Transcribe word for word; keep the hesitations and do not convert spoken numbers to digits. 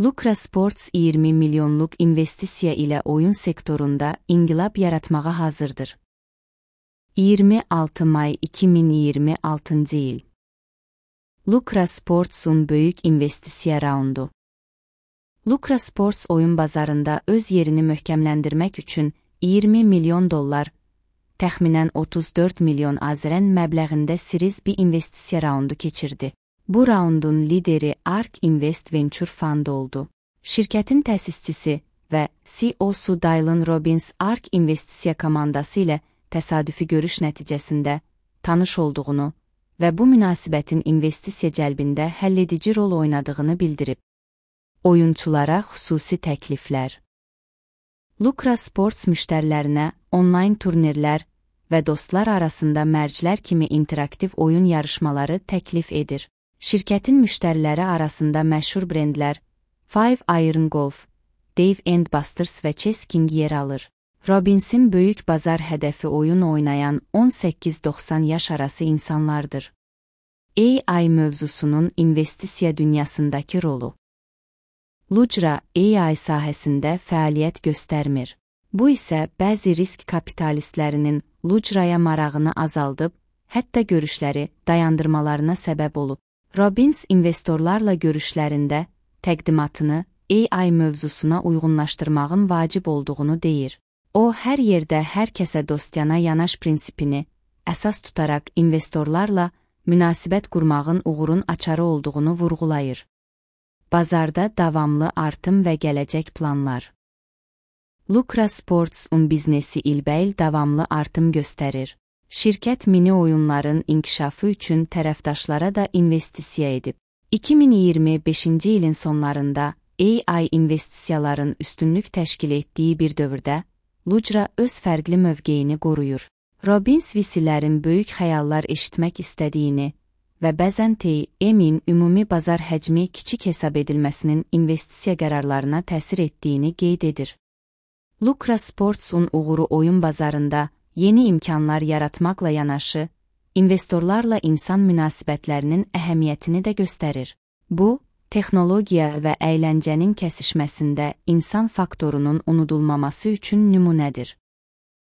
Lucra Sports iyirmi milyonluq investisiya ilə oyun sektorunda inqilab yaratmağa hazırdır. iyirmi altı may iki min iyirmi altıncı il. Lucra Sports'un böyük investisiya raundu. Lucra Sports oyun bazarında öz yerini möhkəmləndirmək üçün iyirmi milyon dollar, təxminən otuz dörd milyon azərən məbləğində Series B investisiya raundu keçirdi. Bu raundun lideri Ark Invest Venture Fund oldu. Şirkətin təsisçisi və C E O'su Dylan Robbins Ark investisiya komandası ilə təsadüfi görüş nəticəsində tanış olduğunu və bu münasibətin investisiya cəlbində həlledici rol oynadığını bildirib. Oyunçulara xüsusi təkliflər. Lucra Sports müştərilərinə onlayn turnirlər və dostlar arasında mərclər kimi interaktiv oyun yarışmaları təklif edir. Şirkətin müştəriləri arasında məşhur brendlər Five Iron Golf, Dave and Buster's və Chess King yer alır. Robbins'in böyük bazar hədəfi oyun oynayan on səkkiz doxsan yaş arası insanlardır. A I mövzusunun investisiya dünyasındakı rolu. Lucra A I sahəsində fəaliyyət göstərmir. Bu isə bəzi risk kapitalistlərinin Lucra'ya marağını azaldıb, hətta görüşləri dayandırmalarına səbəb olub. Robbins investorlarla görüşlərində təqdimatını A I mövzusuna uyğunlaşdırmağın vacib olduğunu deyir. O, hər yerdə hər kəsə dostyanə yanaş prinsipini əsas tutaraq investorlarla münasibət qurmağın uğurun açarı olduğunu vurğulayır. Bazarda davamlı artım və gələcək planlar. Lucra Sports'un biznesi ilbəil davamlı artım göstərir. Şirkət mini oyunların inkişafı üçün tərəfdaşlara da investisiya edib. iki min iyirmi beşinci ilin sonlarında A I investisiyaların üstünlük təşkil etdiyi bir dövrdə Lucra öz fərqli mövqeyini qoruyur. Robbins V C'lərin böyük xəyallar eşitmək istədiyini və bəzən T M'in ümumi bazar həcmi kiçik hesab edilməsinin investisiya qərarlarına təsir etdiyini qeyd edir. Lucra Sports'un uğuru oyun bazarında yeni imkanlar yaratmaqla yanaşı, investorlarla insan münasibətlərinin əhəmiyyətini də göstərir. Bu, texnologiya və əyləncənin kəsişməsində insan faktorunun unudulmaması üçün nümunədir.